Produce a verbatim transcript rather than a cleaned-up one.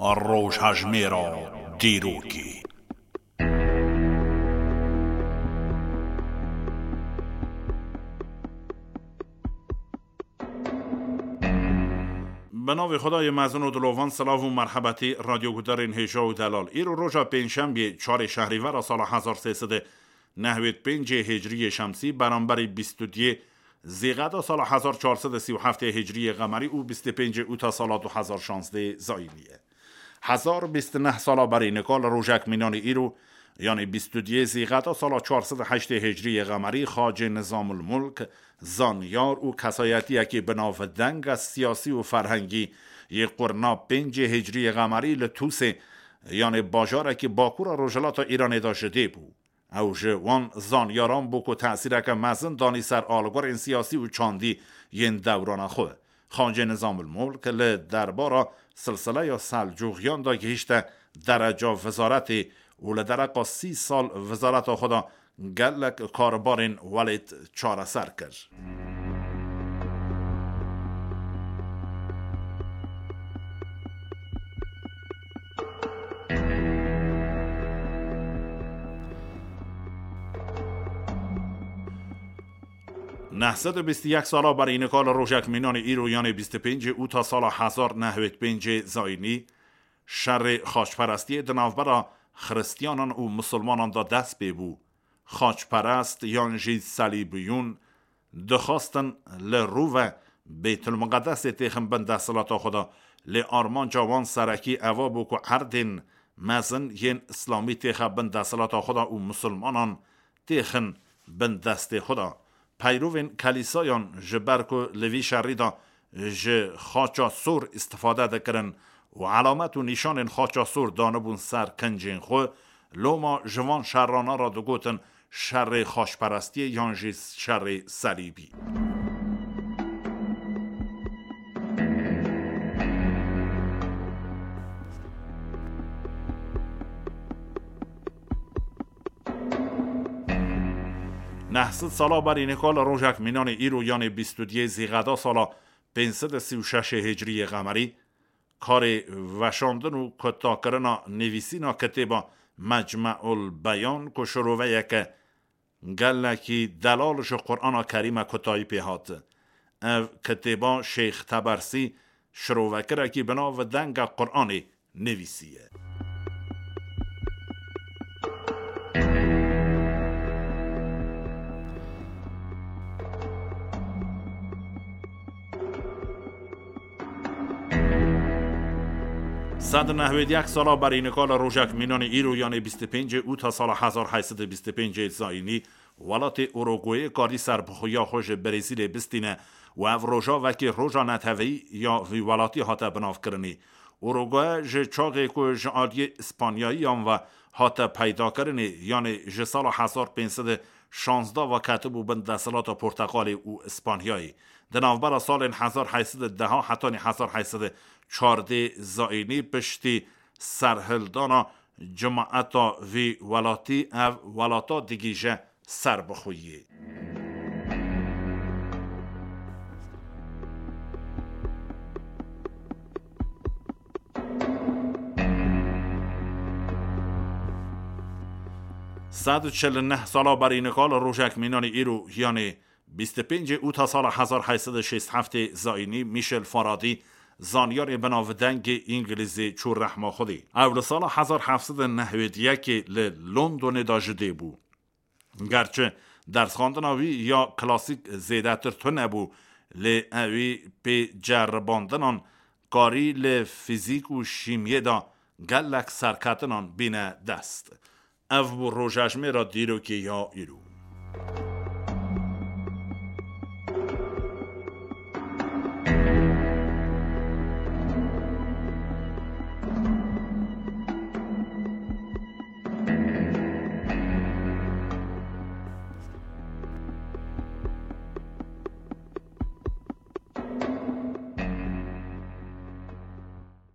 Rojhejmêra dîrokê. Bi navê Xwedayê mezin û dilovan, silav û merhebetî radyoguhdarên hêja û delal. Îro roja pêncşembiyê, çarê şehrîvera sala hezar sê sed û nehwêd pêncê hicriyê şemsî, beramberî bîst û duyê zîqeda sala hezar çar sed û sî û heftê hicriyê qemerî û bîst û pêncê ûta sala du hezar şazdeh zayînî ye. Hezar bîst û neh sala berî nika li rojek mînanî îro, yanî bîst û duyê zîqeda sala çar sed û heştê hicriyê qemerî, Xacê Nizamul Mulk, zanyar û kesayetiyekî bi navdeng a siyasî û ferhengî yê qurna pêncê hicriyê qemerî li Tûsê, yanî bajarekî bakura rojhilata Îranê de ji dê bû. Ew ji wan zanyaran bû ku tesîreke mezin danî ser algorên siyasî û çandî yên dewrana xwe. Xacê Nizamul Mulk li derbara silsileya Selcuxiyan de gihîşte dereca wizaretê û li dereqa sî sal wizareta xwe de gelek karbarên welêt çareser kir. Neh sed û bîst û yek sala berî nika li rojek mînanê îro, yanê bîst û pêncê ûta sala hezar nehwêd pêncê zayînî, şerê xaçperestiyê di navbera xiristiyanan û misilmanan de dest pê bû. Xaçperest yan jî selîbiyûn dixwastin li rû ve Bêtulmiqedesê têxin bin desthilata xwe de, lê armanca wan serekî eva bû ku erdên mezin yên îslamî têxe bin desthilata xwe de û misilmanan têxin bin destê xwe de. Peyrovên kelîsayan, ji ber ku li vî şerî de ji xaça sor îstifade dikirin û elamet û nîşanên xaça sor danibûn ser kincên xwe, loma ji van şerrana re digotin şerê xaçperestiyê yan jî şerê selîbî. Neh sed sala berî nika li rojek mînanê îro, yanê bîst û duyê zîqeda sala pênc sed û sî û şeş hicriyê qemerî, karê veşandin û kutakirina nivîsîna kitêba Mecmeul Beyan, ku şiroveyeke gelekî delal ji Qur'ana Kerîm e, kutayî pê hat. Ev kitêba Şêx Tebersî, şirovekirekî bi nav Denga Qur'anê, nivîsiye. Sed û nehwêd yek sala berî nika li rojek mînanê îro, yanê bîst û pêncê ûta sala hezar heyt sed û bîst û pêncê zayînî, welatê Uruguayê karî serbixweya xwe ji Brezîlê bistîne û ev roja wekî roja neteweyî ya vî welatî hate binavkirinê. Uruguay ji çaxê ku ji aliyê Îspanyayiyan ve hate peydakirinê, yanê ji sala hezar pênc sed û şazdeh ve ketibû bin desthilata Porteqalê û Îspanyayê. Di navbera salên hezar heyt sed û deh hetanî hezar heyt sed û çardeh zayînî, piştî serhildana cimaeta vî welatî, ev welata digihîje serbixweyiyê. Sed û çil û neh sala berî nika li rojek mînanê îro, yanê bîst û pêncê ûta sala hezar heyt sed û şêst heftê zayînî, Michel Faraday, zanyarê binavdengê Îngilîzê, çû rehma Xwedê. Ew li sala hezar heft sed û nehwêd yekê li Londonê de ji dê bû. Gerçi dersxandina wî ya klasîk zêdetir tune bû, lê ewî pê ceribandinan karî li fîzîk û şîmyê de gelek serketinan bîne dest. Ev bû rojejmêra dîrokê ya îro.